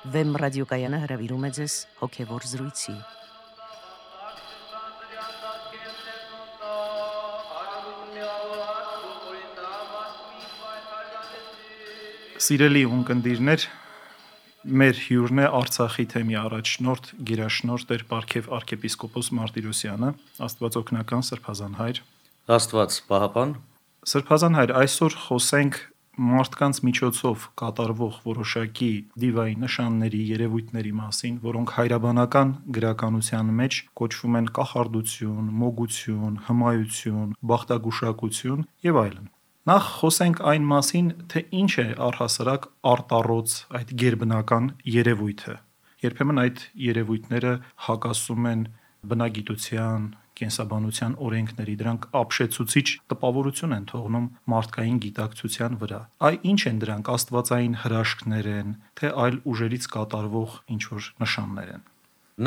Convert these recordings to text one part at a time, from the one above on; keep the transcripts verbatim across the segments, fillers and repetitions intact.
Վեմ ռադիոկայանը հրավիրում է ձեզ հոգևոր զրույցի։ Սիրելի ունկնդիրներ, մեր հյուրն է Արցախի թեմի առաջնորդ, գերաշնորհ Տեր Պարքև arczepiskopos Մարտիրոսյանը, Աստվածօգնական Սրբազան հայր։ Աստված պահապան։ Սրբազան հայր, այսօր խոսենք մարդկանց միջոցով կատարվող որոշակի դիվային նշանների, երևույթների մասին, որոնք հայրաբանական գրականության մեջ կոչվում են կախարդություն, մոգություն, հմայություն, բախտագուշակություն եւ այլն։ Նախ խոսենք այն մասին, թե ինչ է առհասարակ արտառոց այդ գերբնական երևույթը։ Երբեմն այդ երևույթները հակասում են բնագիտության, կենսաբանության օրենքների, դրանք ապշեցուցիչ տպավորություն են թողնում մարդկային գիտակցության վրա։ Այ ինչ են դրանք, աստվածային հրաշքներ են, թե այլ ուժերից կատարվող ինչ-որ նշաններ են։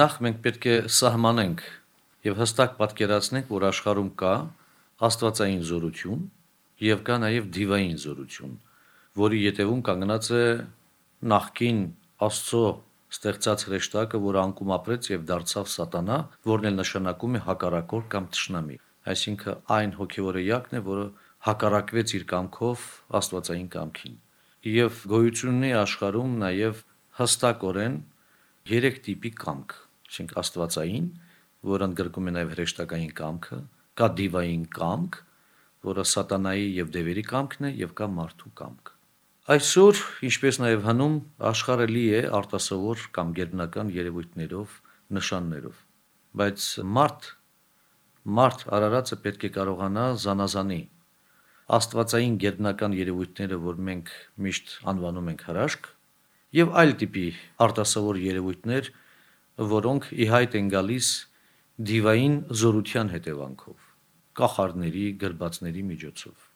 Նախ մենք պետք է սահմանենք եւ հստակ պատկերացնենք, որ աշխարհում կա աստվածային զորություն եւ կա նաեւ դիվային զորություն, որի ետևում կանգնած է նախկին Աստծո ստեղծած հրեշտակը, որ անկում ապրեց եւ դարձավ սատանա, որն էլ նշանակում է հակառակոր կամ թշնամի, այսինքն այն հոգեվոր էակն է, որը հակառակվեց իր կամքով աստվածային կամքին։ Եվ գոյություն ունի աշխարհում նաեւ հստակորեն երեք տիպի կամք, այսինքն աստվածային, որը ընդգրկում է նաեւ հրեշտակային կամքը, կա դիվային կամք, որը սատանայի եւ դևերի կամքն է, եւ կա մարդու կամք։ Այսօր, ինչպես նաև հնում, աշխարհը լի է արտասովոր կամ գերբնական երևույթներով, նշաններով, բայց մարդ, մարդ արարածը պետք է կարողանա զանազանի աստվածային գերբնական երևույթները, որ մենք միշտ անվանում ենք հրաշք, եւ այլ տիպի արտասովոր երևույթներ, որոնք ի հայտ են գալիս դիվային զորության հետևանքով, կախարդների, գրբացների միջոցով։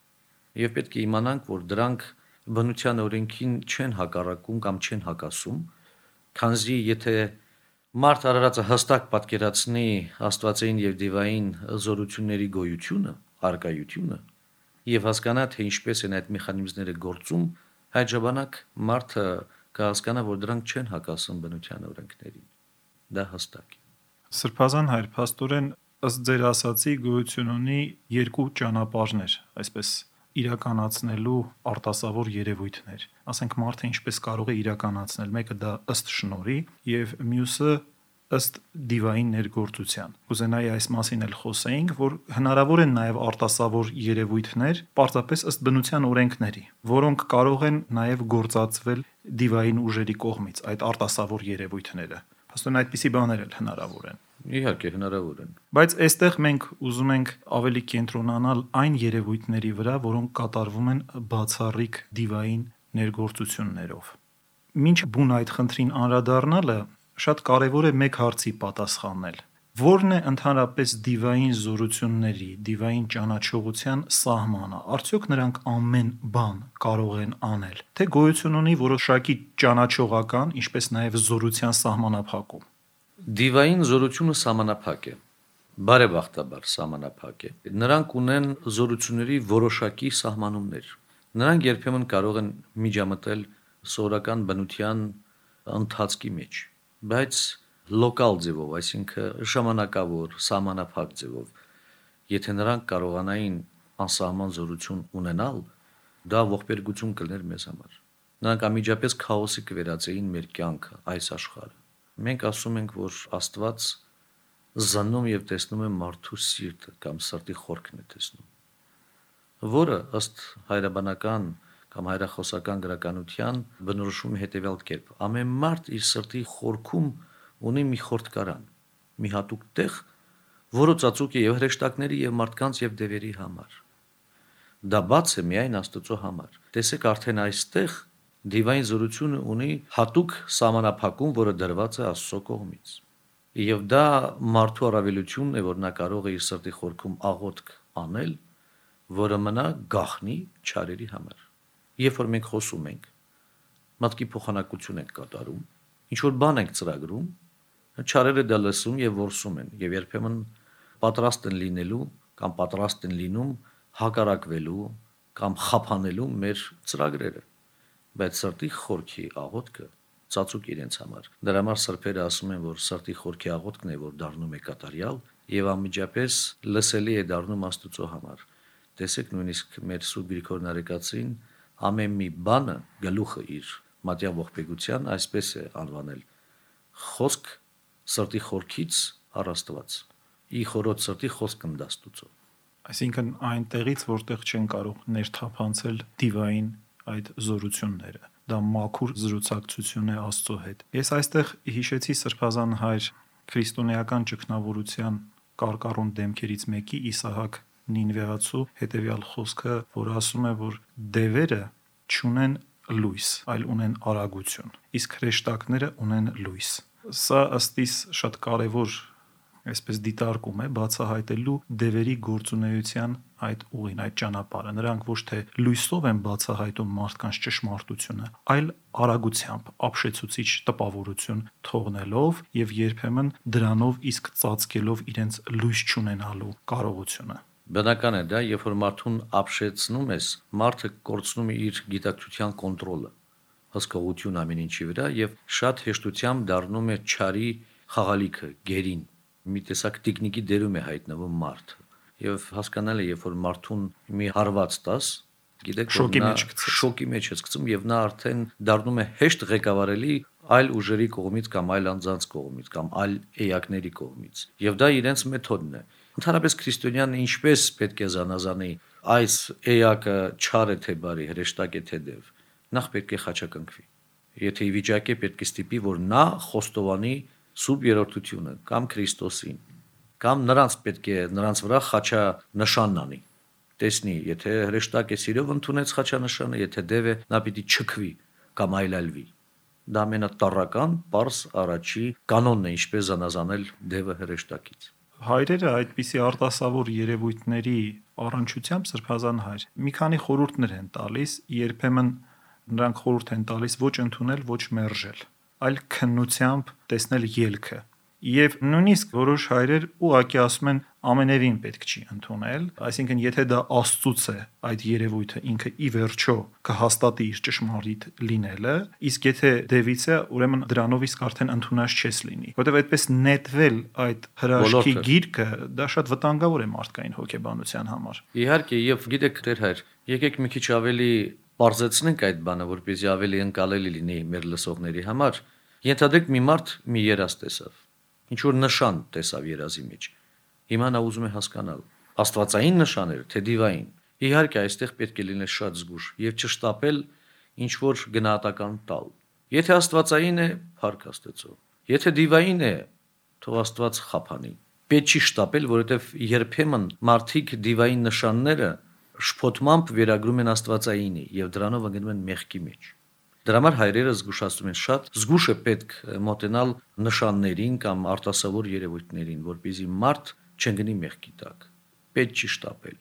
Եվ պետք է իմանանք, որ դրանք բնության օրենքին չեն հակառակում կամ չեն հակասում, քանզի եթե մարդ արարածը հստակ պատկերացնի աստվածային եւ դիվային զորությունների գոյությունը, արկայությունը եւ հասկանա, թե ինչպես են այդ մեխանիզմները գործում, այդ ժամանակ մարդը կհասկանա, որ դրանք չեն հակասում բնության օրենքներին։ Դա հստակ է։ Սրբազան հայր, փաստորեն ըստ ձեր ասացի գոյություն ունի երկու ճանապարհներ, այսպես իրականացնելու արտասովոր երևույթներ։ Ասենք մարդը ինչպես կարող է իրականացնել, մեկը դա ըստ շնորհի եւ մյուսը ըստ դիվային ներգործության։ Կուզենայի այս մասին էլ խոսեինք, որ հնարավոր են նաեւ արտասովոր երևույթներ, պարզապես ըստ բնության օրենքների, որոնք կարող են նաեւ գործածվել դիվային ուժերի կողմից, այդ արտասովոր երևույթները։ Փաստորեն այդպիսի բաներ էլ հնարավոր են։ Իհարկե հնարավոր են։ Բայց այստեղ մենք ուզում ենք ավելի կենտրոնանալ այն երևույթների վրա, որոնք կատարվում են բացառիկ դիվային ներգործություններով։ Մինչ բուն այդ խնդրին անդրադառնալը շատ կարևոր է մեկ հարցի պատասխանել. Որն է ընդհանրապես դիվային զորությունների, դիվային ճանաչողության սահմանը։ Արդյոք նրանք ամեն բան կարող են անել, թե գոյություն ունի որոշակի ճանաչողական, ինչպես նաև զորության սահմանափակում։ Դիվային զորությունը սահմանափակ է, բարեբախտաբար սահմանափակ է։ Նրանք ունեն զորությունների որոշակի սահմանումներ։ Նրանք երբեմն կարող են միջամտել սովորական բնության ընթացքի մեջ, բայց լոկալ ձևով, այսինքն ժամանակավոր, սահմանափակ ձևով։ Եթե նրանք կարողանային անսահման զորություն ունենալ, դա ողբերգություն կլներ մեզ համար։ Նրանք անմիջապես քաոսի կվերածեին մեր կյանքը, այս աշխարհը։ Մենք ասում ենք, որ Աստված զննում եւ տեսնում է մարդու սիրտը կամ սրտի խորքն է տեսնում, որը ըստ հայրաբանական կամ հայրախոսական գրականության բնորոշում է հետևյալ կերպ. ամեն մարդ իր սրտի խորքում ունի մի խորտկարան, մի հատուկ տեղ, որը ծածուկ է եւ հրեշտակների եւ մարդկանց եւ դևերի համար։ Դա բաց է միայն Աստծո համար։ Տեսեք, արդեն այստեղ դիվային զորությունը ունի հատուկ սահմանափակում, որը դրված է Աստծո կողմից։ Եվ դա մարդու առավելությունն է, որ նա կարող է իր սրտի խորքում աղոթք անել, որը մնա գաղտնի չարերի համար։ Երբ որ մենք խոսում ենք, մտքի փոխանակություն ենք կատարում, ինչ որ բան ենք ծրագրում, չարերը դա լսում եւ որսում են, եւ երբեմն պատրաստ են լինելու կամ պատրաստ են լինում հակառակվելու կամ խափանելու մեր ծրագրերը, բայց սրտի խորքի աղոթքը ծածուկ իրենց համար։ Դրա համար սրբերը ասում են, որ սրտի խորքի աղոթքն է, որ դառնում է կատարյալ եւ անմիջապես լսելի է դառնում Աստծո համար։ Տեսեք, նույնիսկ մեր Սուրբ Գրիգոր Նարեկացին ամեն մի բանը գլուխը իր մատյան ողբեգության այսպես է անվանել. խոսք սրտի խորքից առ Աստված։ Ի խորոց սրտի խոսք ընդաստուծո։ Այսինքն այնտեղից, որտեղ չեն կարող ներթափանցել դիվային այդ զորությունները, դա մաքուր զրուցակցություն է Աստծո հետ։ Ես այստեղ հիշեցի Սրբազան հայր քրիստոնեական ճգնավորության կարկառուն դեմքերից մեկի Իսահակ Նինվեացու հետևյալ խոսքը, որ ասում է, որ դևերը չունեն լույս, այլ ունեն արագություն, իսկ հրեշտակները ունեն լույս։ Սա ըստ իս շատ կարևոր այսպես դիտարկում է բացահայտելու դևերի գործունեության այդ ուղին, այդ ճանապարհը։ Նրանք ոչ թե լույսով են բացահայտում մարդկանց ճշմարտությունը, այլ արագությամբ, ապշեցուցիչ տպավորություն թողնելով եւ երբեմն դրանով իսկ ծածկելով իրենց լույս չունենալու կարողությունը։ Բնական է դա, երբ որ մարդուն ապշեցնում ես, մարդը կորցնում է իր գիտակցության կոնտրոլը, հսկողություն ամեն ինչի վրա եւ շատ հեշտությամբ դառնում է չարի խաղալիքը, գերին։ Մի տեսակ տեխնիկի դերում է հայտնվում մարդ։ Եվ հասկանալի է, երբ որ մարդուն մի հարված տաս, գիտեք, շոկի նա մեջ գցես։ շոկի մեջ է գցում եւ նա արդեն դառնում է հեշտ ղեկավարելի այլ ուժերի կողմից կամ այլ անձանց կողմից կամ այլ էակների կողմից։ Եվ դա իրենց մեթոդն է։ Ընդհանրապես քրիստոնյանը ինչպես պետք է զանազանի այս էակը չար է թե բարի, հրեշտակ է թե դև, նախ պետք է խաչակնքվի։ Եթե ի վիճակի է պետք է ստիպի, որ նա խոստովանի Սուրբ երրորդությունը կամ Քրիստոսին, կամ նրանց պետք է նրանց վրա խաչա նշանն անի։ Տեսնի, եթե հրեշտակ է սիրով ընդունեց խաչանշանը, եթե դև է, նա պիտի չքվի կամ այլայլվի։ Դա ամենատառական, պարզ առաջի կանոնն է, ինչպես զանազանել դևը հրեշտակից։ Հայրերը այդպիսի արտասավոր երևույթների առնչությամբ Սրբազան հայր մի քանի խորհուրդներ են տալիս, երբեմն նրանք խորհուրդ են տալիս ոչ ընդունել, ոչ մերժել, այլ քննությամբ տեսնել ելքը։ Եվ նույնիսկ որոշ հայրեր ուղղակի ասում են ամենևին պետք չի ընդունել, այսինքն եթե դա Աստծուց է այդ երևույթը ինքը ի վերջո կհաստատի իր ճշմարիտ լինելը, իսկ եթե դևից է, ուրեմն դրանով իսկ արդեն ընդունած չես լինի, որովհետև այդպես նետվել այդ հրաշքի գիրկը, դա շատ վտանգավոր է մարդկային հոգեբանության համար։ Իհարկե, եւ գիտեք, Տեր հայր, եկեք մի քիչ ավելի բարձրացնենք այդ բանը, որպեսզի ավելի ընկալելի լինի մեր լսողների համար։ Ենթադրեք մի մարդ մի երազ տեսավ, ինչ որ նշան տեսավ երազի մեջ։ Հիմա նա ուզում է հասկանալ աստվածային նշանները, թե դիվային։ Իհարկե, այստեղ պետք է լինել շատ զգուշ եւ չշտապել ինչ որ գնահատական տալ։ Եթե աստվածային է, փառք Աստծո։ Եթե դիվային է, թող Աստված խափանի։ Պետք չի շտապել, որովհետեւ երբեմն մարդիկ դիվային նշանները շփոթմամբ վերագրում են աստվածայինի եւ դրանով ընկնում են մեղքի մեջ։ Դրա համար հայրերը զգուշացնում են շատ, զգուշ է պետք մոտենալ նշաններին կամ արտասովոր երևույթներին, որպեսզի մարդ չընկնի մեղքի տակ։ Պետք չի շտապել։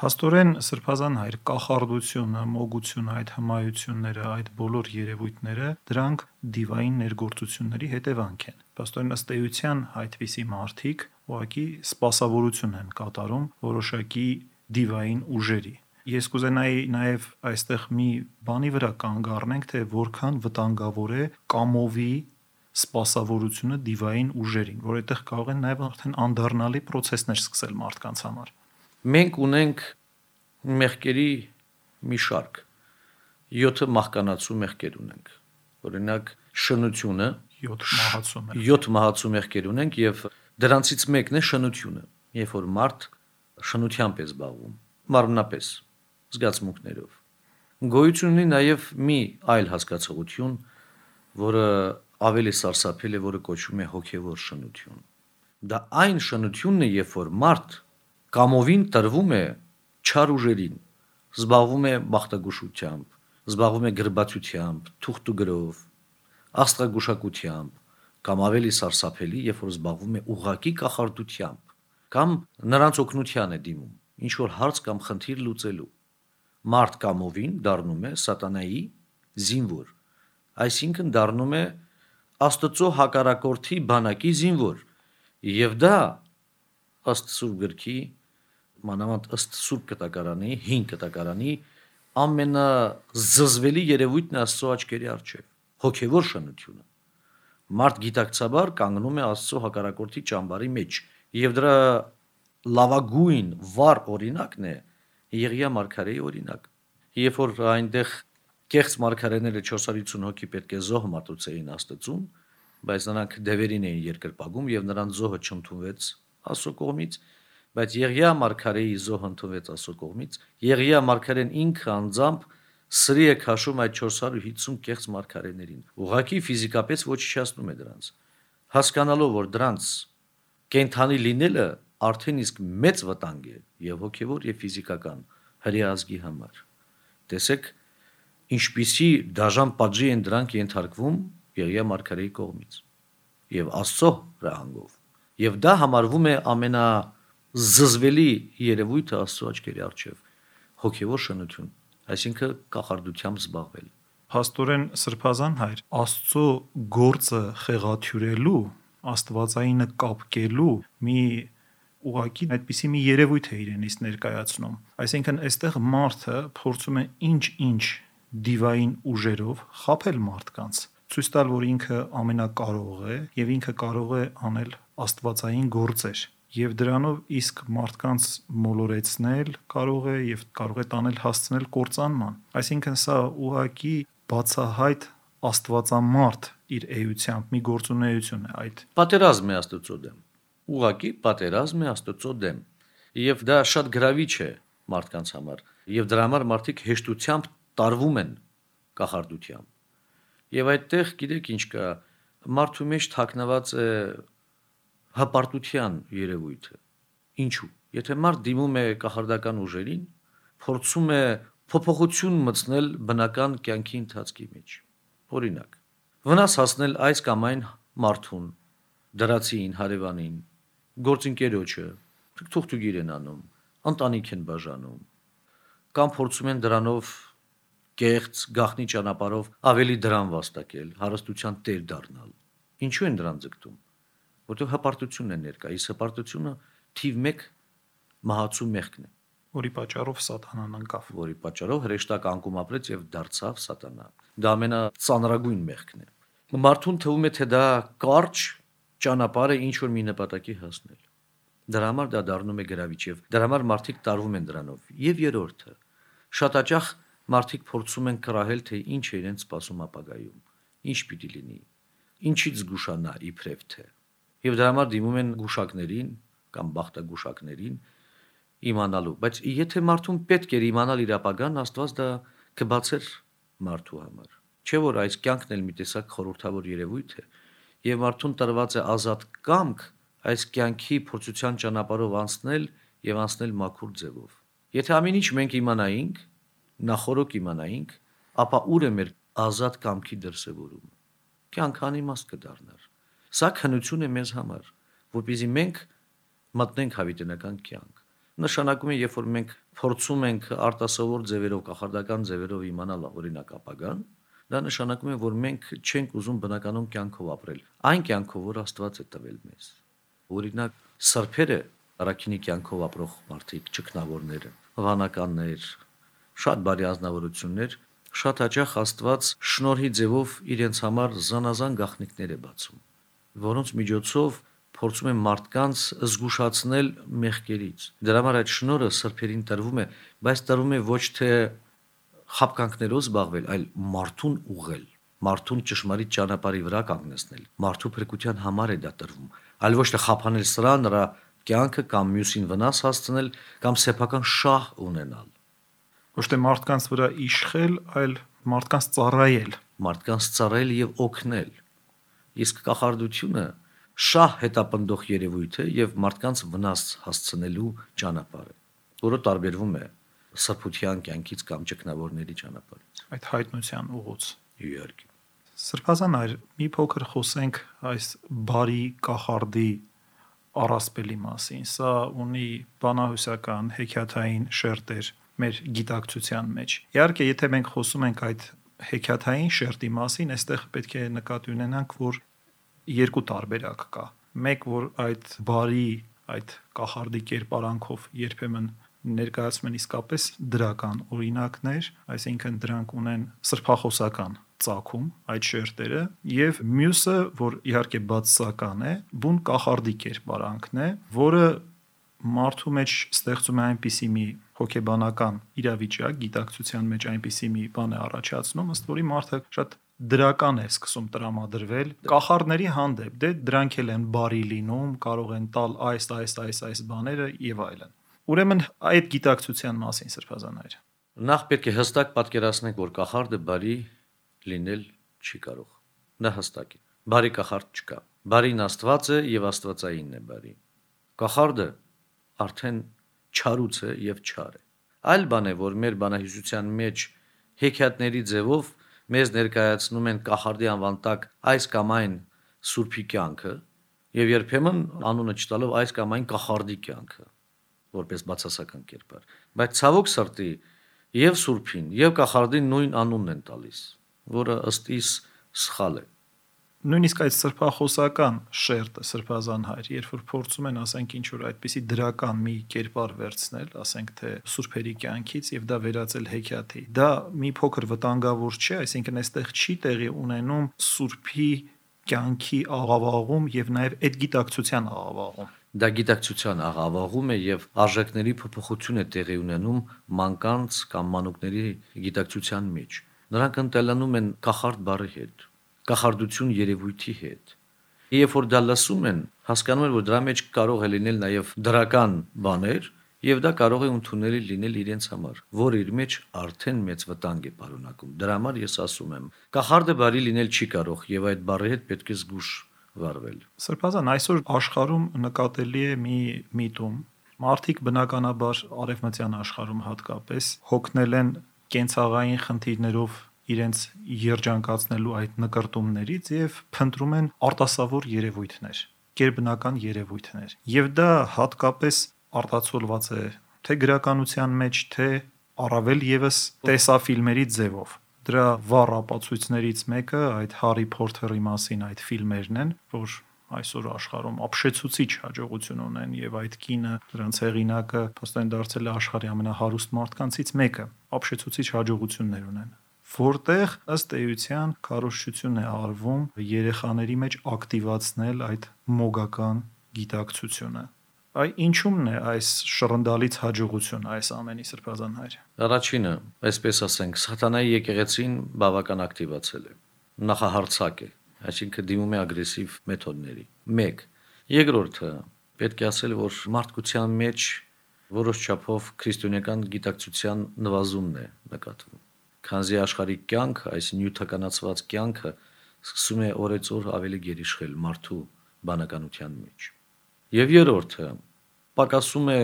Փաստորեն Սրբազան հայր կախարդությունը, մոգությունը, այդ հմայությունները, այդ բոլոր երևույթները, դրանք դիվային ներգործությունների հետևանք են։ Փաստորեն ըստ էության այդպիսի մարդիկ ուղղակի սպասավորություն են կատարում որոշակի դիվային ուժերի։ Ես կուզենայի նաև այստեղ մի բանի վրա կանգ առնենք, թե որքան վտանգավոր է կամովի սպասավորությունը դիվային ուժերին, որ այդտեղ կարող են նաև արդեն անդառնալի process-ներ սկսել մարդկանց համար։ Մենք ունենք մեղքերի մի շարք, յոթ մահկանացու մեղքեր ունենք։ Օրինակ շնությունը, յոթ մահացու մեղքեր։ յոթ մահացու մեղքեր ունենք եւ դրանցից մեկն է շնությունը, երբ որ մարդ շնությամբ է զբաղվում, մարմնապես, զգացմունքներով։ Գոյություն ունի նաև մի այլ հասկացողություն, որը ավելի սարսափել է, որը կոչվում է հոգևոր շնություն։ Դա այն շնությունն է, երբ որ մարդ կամովին տրվում է չար ուժերին, զբաղվում է բախտագուշությամբ, զբաղվում է գրբացությամբ, թուղթ ու գրով, աստղագուշակությամբ, կամ ավելի սարսափելի, երբ որ զբաղվում է ուղղակի կախարդությամբ, կամ նրանց օգնության է դիմում, ինչ որ հարց կամ խնդիր լուծելու։ Մարդ կամովին դառնում է սատանայի զինվոր, այսինքն դառնում է Աստծո հակառակորդի բանակի զինվոր, եւ դա ըստ Սուրբ գրքի, մանավանդ ըստ Սուրբ կտակարանի, հին կտակարանի ամենազզվելի երևույթն է Աստծո աչքերի առջև։ հոգևոր շնությունը։ Մարդ գիտակցաբար կանգնում է Աստծո հակառակորդի ճամբարի մեջ, եւ դրա լավագույն վառ օրինակն է Եղիա մարգարեի օրինակ։ Երբ որ այնտեղ կեղծ մարգարեները չորս հարյուր ութ հոգի պետք է զոհ մատուցեին Աստծուն, բայց նրանք դևերին էին երկրպագում եւ նրանց զոհը չընդունվեց Աստծո կողմից, բայց Եղիա մարգարեի զոհը ընդունվեց Աստծո կողմից։ Եղիա մարգարեն ինքը անձամբ սրի է քաշում այդ չորս հարյուր հիսուն կեղծ մարգարեներին։ Ուղղակի ֆիզիկապես ոչնչացնում է դրանց, հասկանալով, որ դրանց կենթանի լինելը արդեն իսկ մեծ վտանգ է եւ հոգեվոր եւ ֆիզիկական հրեա ազգի համար։ Տեսեք, ինչպիսի դաժան պատժի են դրանք ենթարկվում Եղիա մարգարեի կողմից եւ Աստծո հրահանգով։ Եվ դա համարվում է ամենազզվելի երևույթը Աստծո աչքերի առջև՝ հոգեվոր շնություն, այսինքն կախարդությամբ զբաղվել։ Փաստորեն Սրբազան հայր, Աստծո գործը խեղաթյուրելու, աստվածայինը կապկելու մի ուղղակի այդպիսի մի երևույթ է իրենից ներկայացնում։ Այսինքն այստեղ մարդը փորձում է ինչ-ինչ դիվային ուժերով խաբել մարդկանց, ցույց տալ, որ ինքը ամենակարող է եւ ինքը կարող է անել աստվածային գործեր, եւ դրանով իսկ մարդկանց մոլորեցնել կարող է եւ կարող է տանել հասցնել կործանման։ Այսինքն սա ուղղակի բացահայտ աստվածամարդ իր էությամբ մի գործունեություն է այդ։ Պատերազմ է Աստծո դեմ։ Ուղղակի պատերազմ է Աստծո դեմ։ Եվ դա շատ գրավիչ է մարդկանց համար, եւ դրա համար մարդիկ հեշտությամբ տարվում են կախարդությամբ։ Եվ այդտեղ գիտեք ինչ կա, մարդու մեջ թաքնված է հպարտության երևույթը։ Ինչու՞։ Եթե մարդ դիմում է կախարդական ուժերին, փորձում է փոփոխություն մտցնել բնական կյանքի ընթացքի մեջ։ Օրինակ, վնաս հասնել այս կամ այն մարդուն, դրացին, հարևանին, գործընկերոջը, թուղթուգիր են անում, ընտանիք են բաժանում, կամ փորձում են դրանով կեղծ գաղտնի ճանապարհով ավելի դրան վաստակել, հարստության տեր դառնալ։ Ինչու են դրան ձգտում։ Որտեղ հպարտությունն է ներկա, իսկ հպարտությունը թիվ մեկ մահացու մեղքն է, որի պատճառով Սատանան ընկավ, որի պատճառով հրեշտակ անկում ապրեց եւ դարձավ Սատանա։ Դա ամենածանրագույն մեղքն է։ Մարդուն թվում է, թե դա կարճ ճանապարհ է ինչ որ մի նպատակի հասնել։ Դրա համար դա դառնում է գրավիչ եւ դրա համար մարդիկ տարվում են դրանով։ Եվ երրորդը, շատ հաճախ մարդիկ փորձում են կռահել, թե ինչ է իրենց սպասում ապագայում, ինչ պիտի լինի, ինչից զգուշանա իբրև թե։ Եվ դրա համար դիմում են գուշակներին կամ բախտագուշակներին իմանալու, բայց եթե մարդուն պետք էր իմանալ իր ապագան, Աստված դա կբացեր մարդու համար։ Չէ՞ որ այս կյանքն էլ մի տեսակ խորհրդավոր երևույթ է, եւ մարդուն տրված է ազատ կամք այս կյանքի փորձության ճանապարհով անցնել եւ անցնել մաքուր ձևով։ Եթե ամեն ինչ մենք իմանայինք, նախորոք իմանայինք, ապա ուր է մեր ազատ կամքի դրսևորումը։ Կյանքը անիմաստ կդառնար։ Սա քնություն է մեզ համար, որպեսզի մենք մտնենք հավիտենական կյանք։ Նշանակում է, երբ որ մենք փորձում ենք արտասովոր ձևերով, կախարդական ձևերով իմանալ օրինակ ապագան, դա նշանակում է, որ մենք չենք ուզում բնականon կյանքով ապրել, այն կյանքով, որ Աստված է տվել մեզ։ Օրինակ, սրբերը, առաքինի կյանքով ապրող մարդիկ, ճգնավորները, վանականներ, շատ բարի ազնվորություններ, շատ հաճախ Աստված շնորհի ձևով իրենց համար զանազան գաղտնիքներ է բացում, որոնց միջոցով փորձում են մարդկանց զգուշացնել մեղքերից։ Դրա համար այդ շնորհը սրբերին տրվում է, բայց տրվում է ոչ թե խաբկանքներով զբաղվել, այլ մարդուն ուղղել, մարդուն ճշմարիտ ճանապարհի վրա կանգնեցնել։ Մարդու փրկության համար է դա տրվում, այլ ոչ թե խափանել սրա նրա կյանքը կամ մյուսին վնաս հասցնել կամ սեփական շահ ունենալ։ Ոչ թե մարդկանց վրա իշխել, այլ մարդկանց ծառայել, մարդկանց ծառայել եւ օգնել։ Իսկ կախարդությունը շահ հետապնդող երևույթ է եւ մարդկանց վնաս հասցնելու ճանապարհ է, որը տարբերվում է սրբության կյանքից կամ ճգնավորների ճանապարհից։ Այդ հայտնության ուղուց։ Իհարկե։ Սրբազան այր մի փոքր խոսենք այս բարի կախարդի առասպելի մասին։ Սա ունի բանահյուսական, հեքիաթային շերտեր մեր գիտակցության մեջ։ Իհարկե, եթե մենք խոսում ենք այդ հեքիաթային շերտի մասին, այստեղ պետք է նկատի ունենանք, որ երկու տարբերակ կա։ Մեկ, որ այդ բարի, այդ կախարդի կերպարանքով երբեմն ներկայացում են իսկապես դրական օրինակներ, այսինքն դրանք ունեն սրբախոսական ծագում այդ շերտերը, եւ մյուսը, որ իհարկե բացասական է, բուն կախարդի կերպարանքն է, որը մարդու մեջ ստեղծում է այնպիսի մի հոգեբանական իրավիճակ, գիտակցության մեջ այնպիսի մի բան է առաջացնում, ըստ որի մարդը շատ դրական է սկսում տրամադրվել կախարդների հանդեպ, դե դրանք էլ են բարի լինում, կարող են տալ այս, այս, այս, այս բաները եւ այլն։ Ուրեմն այդ գիտակցության մասին սրբազաններ։ Նախ պետք է հստակ պատկերացնենք, որ կախարդը բարի լինել չի կարող։ Դա հստակ է։ Բարի կախարդ չկա։ Բարին Աստված է եւ Աստվածայինն է բարի։ Կախարդը արդեն չարուց է եւ չար է։ Այլ բան է, որ մեր բանահյուսության մեջ հեքիաթների ձևով մեզ ներկայացնում են կախարդի անվան տակ այս կամ այն սուրբի կյանքը եւ երբեմն անունը չտալով այս կամ այն կախարդի կյանքը, որպես բացասական կերպար։ Բայց ցավոք սրտի եւ սուրբին եւ կախարդին նույն անունն են տալիս, որը ըստ իս սխալ է։ Նույնիսկ այդ սրբախոսական շերտը, սրբազան հայր, երբ որ փորձում են, ասենք, ինչ որ այդպիսի դրական մի կերպար վերցնել, ասենք թե սուրբերի կյանքից եւ դա վերածել հեքիաթի, դա մի փոքր վտանգավոր չէ, այսինքն այստեղ չի տեղի ունենում սուրբի կյանքի աղավաղում եւ նաեւ այդ գիտակցության աղավաղում։ Դա գիտակցության աղավաղում է եւ արժեքների փոփոխություն է տեղի ունենում մանկանց կամ մանուկների գիտակցության մեջ։ Նրանք ընտելանում են կախարդ բառի հետ, կախարդություն երևույթի հետ։ Երբ որ դա լսում են, հասկանում են, որ դրա մեջ կարող է լինել նաեւ դրական բաներ եւ դա կարող է ընդունելի լինել իրենց համար, որ իր մեջ արդեն մեծ վտանգ է պարունակում։ Դրա համար ես ասում եմ, կախարդը բարի լինել չի կարող եւ այդ բառի հետ պետք է զգուշ վարվել։ Սրբազան, այսօր աշխարհում նկատելի է մի միտում։ Մարդիկ բնականաբար արևմտյան աշխարհում հատկապես հոգնել են կենցաղային խնդիրներով իրենց երջանկացնելու այդ նկարտումներից եւ փնտրում են արտասովոր երևույթներ, գերբնական երևույթներ։ Եվ դա հատկապես արտացոլված է թե գրականության մեջ, թե առավել եւս տեսաֆիլմերի ձևով։ Դրա վառ ապացույցներից մեկը այդ Հարի Փոթերի մասին այդ ֆիլմերն են, որ այսօր աշխարհում ապշեցուցիչ հաջողություն ունեն եւ այդ կինը, դրանց հեղինակը փաստորեն դարձել է աշխարհի ամենահարուստ մարդկանցից մեկը, ապշեցուցիչ հաջողություններ ունեն, որտեղ ըստ էության քարոզչություն է արվում երեխաների մեջ ակտիվացնել այդ մոգական գիտակցությունը։ Այ ինչումն է այս շռնդալից հաջողությունը այս ամենի սրբազան հայր։ Առաջինը, այսպես ասենք, սատանայի եկեղեցին բավական ակտիվացել է։ Նախահարցակ է, այսինքն դիմում է ագրեսիվ մեթոդների։ մեկ. Երկրորդը, պետք է ասել, որ մարդկության մեջ որոշ չափով քրիստոնեական գիտակցության նվազումն է նկատվում։ Քանզի աշխարհի կյանքը, այս նյութականացված կյանքը սկսում է օրեցօր ավելի գերիշխել մարդու բանականության մեջ։ Եվ երրորդը, պակասում է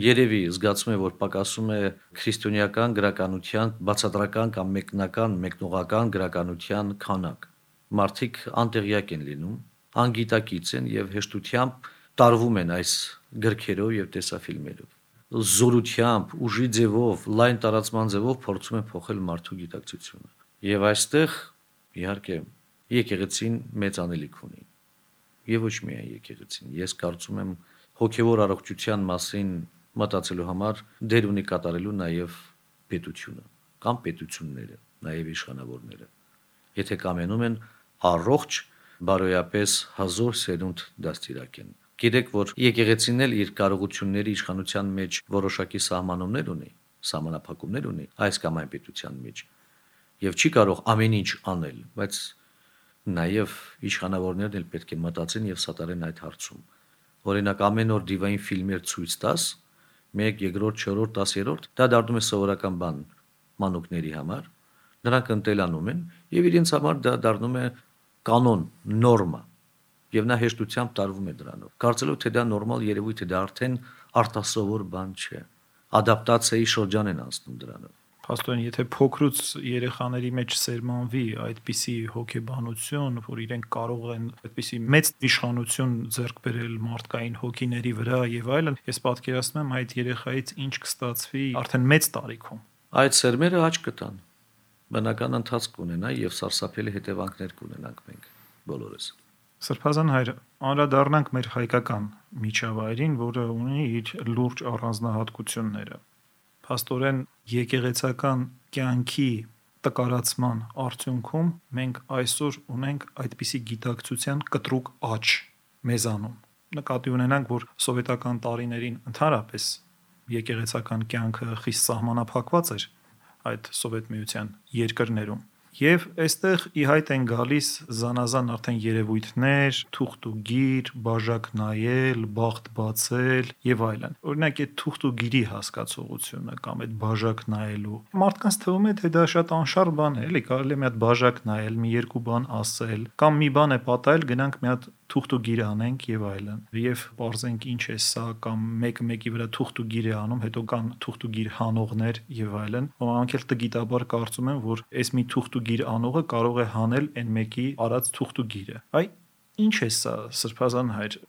երևի զգացում է, որ պակասում է քրիստոնեական գրականության բացատրական կամ մեկնական, մեկնողական գրականության քանակ։ Մարդիկ անտեղյակ են լինում, անգիտակից են եւ հեշտությամբ տարվում են այս գրքերով եւ տեսաֆիլմերով։ Զորությամբ, ուժի ձևով, լայն տարածման ձևով փորձում են փոխել մարդու գիտակցությունը։ Եվ այստեղ, իհարկե, եկեղեցին մեծ անելիք ունի։ Եվ ոչ միայն եկեղեցին։ Ես կարծում եմ հոգևոր առողջության մասին մտածելու համար դեր ունի կատարելու նաև պետությունը կամ պետությունները, նաև իշխանավորները։ Եթե կամենում են առողջ, բարոյապես հազոր սերունդ դաստիարակեն։ Գիտեք, որ եկեղեցին էլ իր կարողությունների իշխանության մեջ որոշակի սահմանումներ ունի, սահմանափակումներ ունի այս կամ այն պետության մեջ եւ չի կարող ամեն ինչ անել, բայց նաև իշխանավորներն էլ պետք է մտածեն եւ սատարեն այդ հարցում։ Օրինակ ամեն օր դիվային ֆիլմեր ցույց տաս, մեկ, երկրորդ, չորրորդ, տասերորդ, դա դառնում է սովորական բան մանուկների համար։ Նրանք ընտելանում են եւ իրենց համար դա դառնում է կանոն, նորմա։ Եվ նա հեշտությամբ տարվում է դրանով։ Կարծելով թե դա նորմալ երևույթ է, դա արդեն արտասովոր բան չէ։ Ադապտացիայի շրջան են անցնում դրանով։ Փաստորեն, եթե փոքրուց երեխաների մեջ սերմանվի այդպիսի հոգեբանություն, որ իրենք կարող են այդպիսի մեծ իշխանություն ձեռք բերել մարդկային հոգիների վրա եւ այլն, ես պատկերացնում եմ այդ երեխայից ինչ կստացվի արդեն մեծ տարիքում։ Այդ սերմերը աճ կտան, բնական ընթացք կունենա եւ սարսափելի հետևանքներ կունենանք մենք բոլորս։ Սրբազան հայր, անդրադառնանք մեր հայկական միջավայրին, որը ունի իր լուրջ առանձնահատկությունները։ Փաստորեն եկեղեցական կյանքի տկարացման արդյունքում մենք այսօր ունենք այդպիսի գիտակցության կտրուկ աճ մեզանում։ Նկատի ունենանք, որ սովետական տարիներին ընդհանրապես եկեղեցական կյանքը խիստ սահմանափակված էր այդ Սովետ միության երկրներում։ Եվ այստեղ ի հայտ են գալիս զանազան արդեն երևույթներ, թուղթ ու գիր, բաժակ նայել, բախտ բացել եւ այլն։ Օրինակ այդ թուղթ ու գիրի հասկացողությունը կամ այդ բաժակ նայելու մարդկանց թվում է, թե դա շատ անշարժ բան է, էլի կարելի է մի հատ բաժակ նայել, մի երկու բան ասել, կամ մի բան է պատահել, գնանք մի հատ թուղթ ու գիր անենք եւ այլն։ Եվ parzենք ինչ է սա, կամ մեկը մեկի վրա թուղթ ու գիր է անում, հետո կան թուղթ ու գիր հանողներ եւ այլն։ Ոմանք էլ տգիտաբար կարծում են, որ այս մի թուղթ ու գիր անողը կարող է հանել այն մեկի արած թուղթ ու գիրը։ Այ ինչ է սա, սրբազան հայր։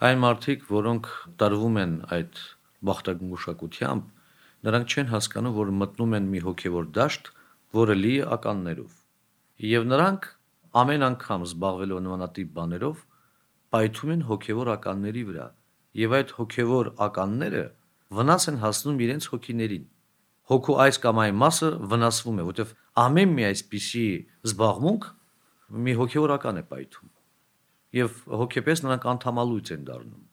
Այն մարդիկ, որոնք տարվում են այդ բախտագուշակությամբ, նրանք չեն հասկանում, որ մտնում են մի հոգևոր դաշտ, որը լի է ականներով։ Եվ նրանք ամեն անգամ զբաղվելով նմանատիպ բաներով պայթում են հոգևոր ականների վրա, եւ այդ հոգևոր ականները վնաս են հասնում իրենց հոգիներին։ Հոգու այս կամ այն մասը վնասվում է, որտեղ ամեն մի այսպիսի զբաղմունք մի հոգևոր ական է պայթում, եւ հոգեպես նրանք անդամալույց են դառնում։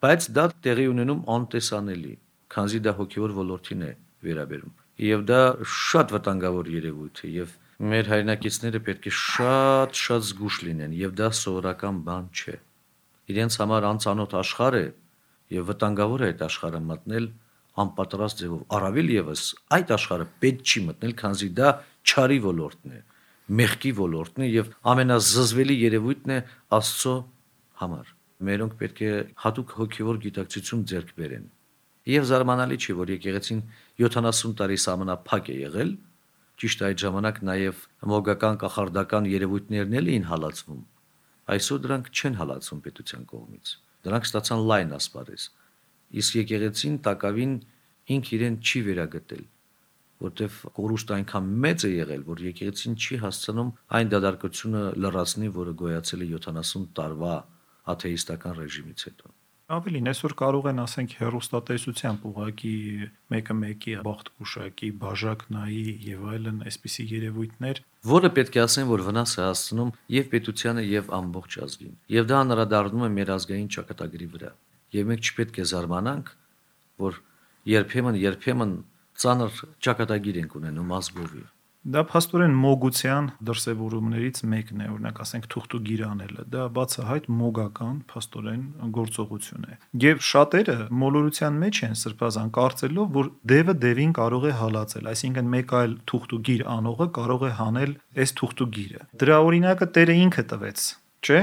Բայց դա տեղի ունենում անտեսանելի, քանզի դա հոգևոր ոլորտին է վերաբերում, եւ դա շատ վտանգավոր երևույթ է, եւ մեր հայրենակիցները պետք է շատ շատ զգուշ լինեն, եւ դա սովորական բան չէ։ Իրենց համար անծանոթ աշխարհ է եւ վտանգավոր է այդ աշխարհը մտնել անպատրաստ ձևով։ Առավել եւս այդ աշխարհը պետք չի մտնել, քանզի դա չարի ոլորտն է, մեղքի ոլորտն է եւ ամենազզվելի երևույթն է Աստծո համար։ Մերոնք պետք է հատուկ հոգևոր գիտակցություն ձեռք բերեն։ Եվ զարմանալի չի, որ եկեղեցին յոթանասուն տարի սահմանափակ է եղել, ճիշտ այդ ժամանակ նաեւ մոգական կախարդական երևույթներն էլ էին հալածվում։ Այսօր դրանք չեն հալածվում պետության կողմից։ Դրանք ստացան լայն ասպարեզ։ Իսկ եկեղեցին տակավին ինք իրեն չի վերագտել, որտեվ կորուստը այնքան մեծ է եղել, որ եկեղեցին չի հասցնում այն դադարքությունը լրացնի, որը գոյացել է յոթանասուն տարվա աթեիստական ռեժիմից հետո։ Ավելին, այսօր կարող են ասենք հեռուստատեսությամբ ուղակի մեկը մեկի բախտգուշակի, բաժակ նայի եւ այլն այսպիսի երևույթներ, որը պետք է ասեն, որ վնաս է հասցնում եւ պետությանը եւ ամբողջ ազգին։ Եվ դա անդրադառնում է մեր ազգային ճակատագրի վրա։ Եվ մենք չպետք է զարմանանք, որ երբեմն երբեմն ծանր ճակատագիր ենք ունենում ազգովի։ Դա փաստորեն մոգության դրսևորումներից մեկն է, օրինակ ասենք թուղթ ու գիր անելը, դա բացահայտ մոգական փաստորեն գործողություն է։ Եվ շատերը մոլորության մեջ են սրբազան կարծելով, որ դևը դևին կարող է հալածել, այսինքն մեկ այլ թուղթ ու գիր անողը կարող է հանել այս թուղթ ու գիրը։ Դրա օրինակը Տերը ինքը տվեց, չէ՞։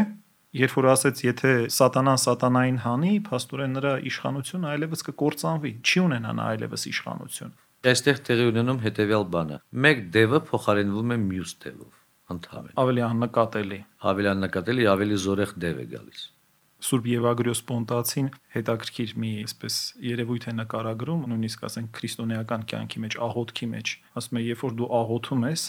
Երբ որ ասեց, եթե սատանան սատանային հանի, փաստորեն նրա իշխանությունը այլևս կկործանվի, չի ունենա նա այլևս իշխանություն։ Այստեղ տեղի ունենում հետևյալ բանը. մեկ դևը փոխարինվում է մյուս դևով, ընդհանրապես։ Ավելի աննկատելի։ Ավելի աննկատելի, ավելի զորեղ դև է գալիս։ Սուրբ Եվագրիոս Պոնտացին հետաքրքիր մի այսպես երևույթ է նկարագրում, նույնիսկ ասենք քրիստոնեական կյանքի մեջ, աղոթքի մեջ, ասում է, երբ որ դու աղոթում ես,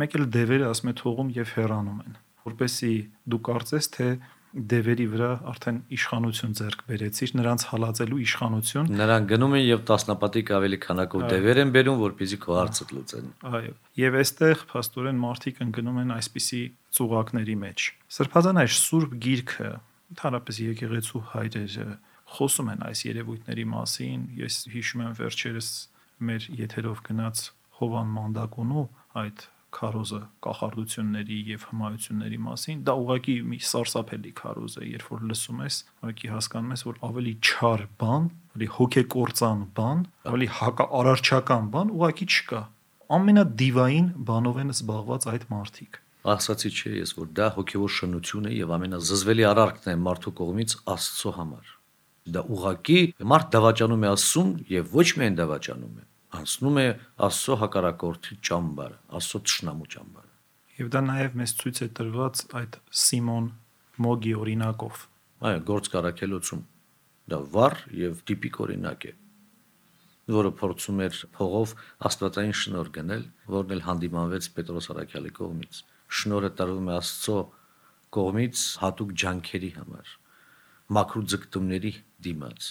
մեկ էլ դևերը ասում է թողում եւ հեռանում են, որպեսզի դու կարծես, թե դևերի վրա արդեն իշխանություն ձեռք բերեցիր, նրանց հալածելու իշխանություն։ Նրանք գնում են եւ տասնապատիկ ավելի քանակով դևեր են բերում, որպեսզի քո հարցը լուծեն։ Այո։ Եվ այստեղ փաստորեն մարդիկ ընկնում են այսպիսի ծուղակների մեջ։ Սրբազան այս Սուրբ Գիրքը, ընդհանրապես եկեղեցու հայրերը խոսում են այս երևույթների մասին։ Ես հիշում եմ վերջերս մեր եթերով գնաց Հովան Մանդակոնու այդ քարոզը կախարդությունների եւ հմայությունների մասին, դա ուղղակի մի սարսափելի քարոզ է, երբ որ լսում ես, ուղղակի հասկանում ես, որ ավելի չար բան, ավելի հոգեկործան բան, ավելի հակաարարչական բան ուղղակի չկա։ Ամենադիվային բանով են զբաղված այդ մարդիկ։ Ասացի չէ ես, որ դա հոգևոր շնություն է եւ ամենազզվելի արարքն է մարդու կողմից Աստծո համար։ Դա ուղղակի մարդ դավաճանում է Աստծուն եւ ոչ միայն դավաճանում է, անցնում է Աստծո հակառակորդի ճամբարը, Աստծո թշնամու ճամբարը։ Եվ դա նաև մեզ ցույց է տրված այդ Սիմոն Մոգի օրինակով։ Այո, գործ կարակելոցում դա վառ եւ տիպիկ օրինակ է, որը փորձում էր փողով աստվածային շնորհ գնել, որն էլ հանդիմանվեց Պետրոս Արաքյալի կողմից։ Շնորհը տրվում է Աստծո կողմից հատուկ ջանքերի համար, մաքրու ձգտումների դիմաց,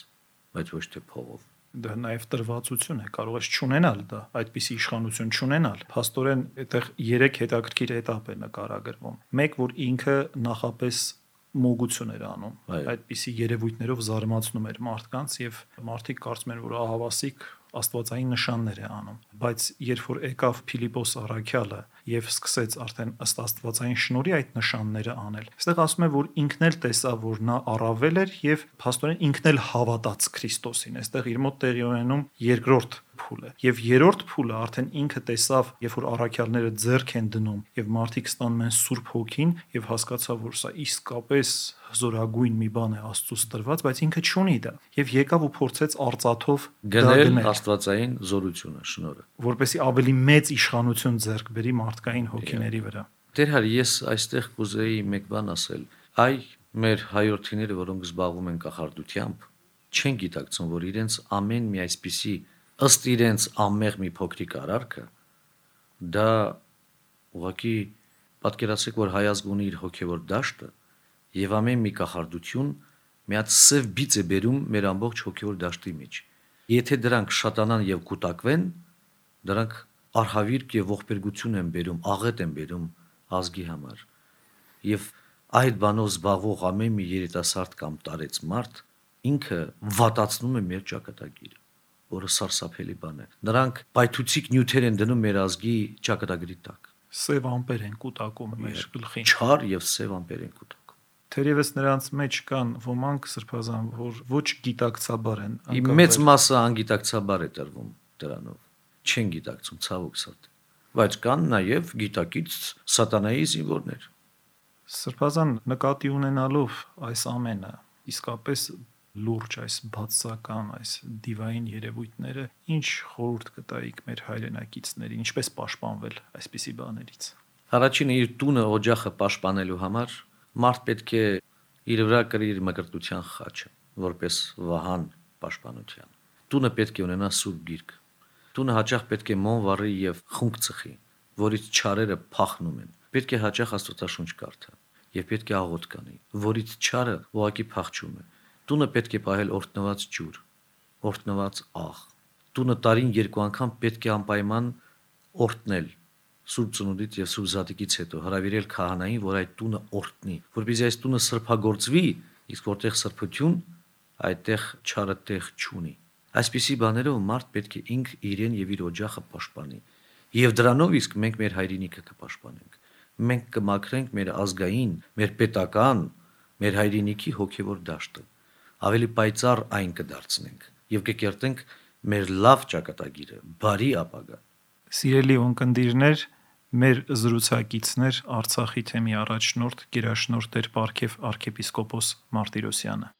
բայց ոչ թե փողով։ դա նաև տրվածություն է, կարող ես չունենալ դա, այդպիսի իշխանություն չունենալ։ Փաստորեն այդտեղ երեք հետաքրքիր էտապ է նկարագրվում։ Մեկ, որ ինքը նախապես մոգություն էր անում, այդպիսի երևույթներով զարմացնում էր մարդկանց եւ մարդիկ կարծում են, որ ահավասիկ աստվածային նշաններ է անում, բայց երբ որ եկավ Փիլիպոս առաքյալը եւ սկսեց արդեն ըստ աստվածային շնորհի այդ նշանները անել, այստեղ ասում է, որ ինքն էլ տեսավ, որ նա առավել էր եւ փաստորեն ինքն էլ հավատաց Քրիստոսին։ Այստեղ իր մոտ տեղի ունենում երկրորդ փուլը եւ երրորդ փուլը արդեն ինքը տեսավ, երբ որ առաքյալները ձեռք են դնում եւ մարդիկ ստանում են Սուրբ Հոգին եւ հասկացավ, որ սա իսկապես զորագույն մի բան է Աստծուց տրված, բայց ինքը չունի դա եւ եկավ ու փորձեց արծաթով գնել աստվածային զորությունը, շնորհը, որպեսզի ավելի մեծ իշխանություն ձեռք բերի մարդկային հոգիների վրա։ Տեր հար, ես այստեղ կուզեի մեկ բան ասել։ Այ մեր հայրենիները, որոնք զբաղվում են կախարդությամբ, չեն գիտակցում, որ իրենց ամեն մի այսպիսի ըստ իրենց ամեղ մի փոքրիկ արարքը դա ուղղակի պատկերացրեք, որ հայազգ ունի իր հոգևոր դաշտը եւ ամեն մի կախարդություն մի հատ սև բիծ է բերում մեր ամբողջ հոգևոր դաշտի մեջ։ Եթե դրանք շատանան եւ կուտակվեն, դրանք արհավիրք եւ ողբերգություն են բերում, աղետ են բերում ազգի համար։ Եվ այդ բանով զբաղվող ամեն մի երիտասարդ կամ տարեց մարդ ինքը վատացնում է մեր ճակատագիրը, որը սարսափելի բան է։ Նրանք պայթուցիկ նյութեր են դնում մեր ազգի ճակատագրի տակ։ Սև ամպեր են կուտակում մեր գլխին։ Չար եւ սև ամպեր են կուտակում։ Թերևս նրանց մեջ կան ոմանք սրբազան, որ ոչ գիտակցաբար են։ Մեծ մասը անգիտակցաբար է տրվում դրանով։ Չեն գիտակցում, ցավոք սրտի։ Բայց կան նաեւ գիտակից սատանայի զինվորներ։ Սրբազան նկատի ունենալով այս ամենը, իսկապես լուրջ այս բացական, այս դիվային երևույթները, ինչ խորհուրդ կտայիք մեր հայրենակիցներին, ինչպես պաշտպանվել այսպիսի բաներից։ Առաջինը իր տունը օջախը պաշտպանելու համար մարդ պետք է իր վրա կրի իր մկրտության խաչը, որպես վահան պաշտպանության։ Տունը պետք է ունենա սուրբ գիրք։ Տունը հաճախ պետք է մոմ վառի եւ խունկ ծխի, որից չարերը փախնում են։ Պետք է հաճախ Աստվածաշունչ կարդա եւ պետք է աղոթ կանի, որից չարը ուղղակի փախչում է։ Տունը պետք է պահել օրտնված ջուր, օրտնված աղ։ Տունը տարին երկու անգամ պետք է անպայման օրտնել Սուրբ ծնունդից եւ Սուրբ Զատիկից հետո հրավիրել քահանային, որ այդ տունը օրտնի, որպեսզի այս տունը սրբագործվի, իսկ որտեղ սրբություն, այդտեղ չարը տեղ չունի։ Այսպիսի բաներով մարդ պետք է ինք իրեն եւ իր օջախը պաշտպանի։ Եվ դրանով իսկ մենք մեր հայրենիքը կպաշտպանենք։ Մենք կմաքրենք մեր ազգային, մեր պետական, մեր հայրենիքի հոգևոր դաշտը։ Ավելի պայծառ այն կդարձնենք եւ կկերտենք մեր լավ ճակատագիրը, բարի ապագա։ Սիրելի ունկնդիրներ, մեր զրուցակիցներ Արցախի թեմի առաջնորդ գերաշնորհ Տեր Պարքև arczepiskopos Martirosyan-ը։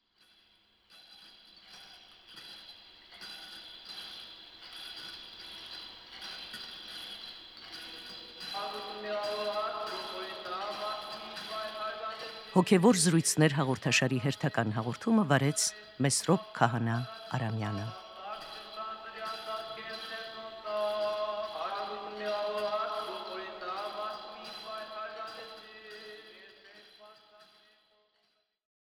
Հոգևոր զրույցներ հաղորդաշարի հերթական հաղորդումը վարեց Մեսրոպ Քահանա Արամյանը։